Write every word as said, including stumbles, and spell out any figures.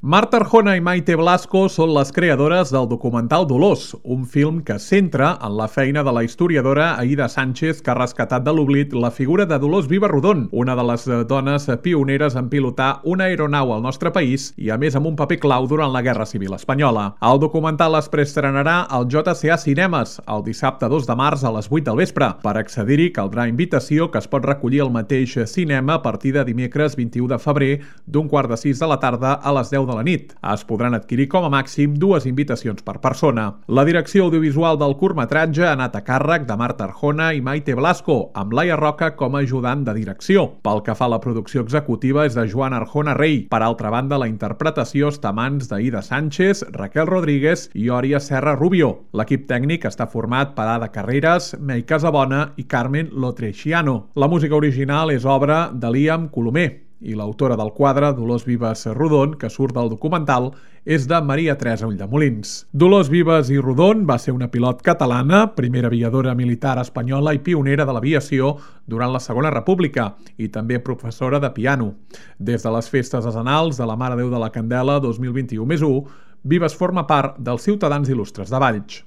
Marta Arjona i Maite Blasco són les creadores del documental Dolors, un film que es centra en la feina de la historiadora Aïda Sánchez, que ha rescatat de l'oblit la figura de Dolors Viva-Rodon, una de les dones pioneres en pilotar una aeronau al nostre país i, a més, amb un paper clau durant la Guerra Civil Espanyola. El documental es preestrenarà al J C A Cinemes el dissabte dos de març a les vuit del vespre. Per accedir-hi caldrà invitació, que es pot recollir al mateix cinema a partir de dimecres vint-i-u de febrer d'un quart de sis de la tarda a les deu de la nit. Es podran adquirir com a màxim dues invitacions per persona. La direcció audiovisual del curtmetratge ha anat a càrrec de Marta Arjona i Maite Blasco, amb Laia Roca com a ajudant de direcció. Pel que fa a la producció executiva és de Joan Arjona Rey. Per altra banda, la interpretació està a mans d'Aïda Sánchez, Raquel Rodríguez i Òria Serra Rubio. L'equip tècnic està format per Ada Carreras, Mei Casabona i Carmen Lotrechiano. La música original és obra de Liam Colomer i l'autora del quadre, Dolors Vives Rodon, que surt del documental, és de Maria Teresa Ulldemolins. Dolors Vives i Rodon va ser una pilot catalana, primera aviadora militar espanyola i pionera de l'aviació durant la Segona República i també professora de piano. Des de les festes decenals de la Mare Déu de la Candela dos mil vint-i-u més u, Vives forma part dels Ciutadans Il·lustres de Valls.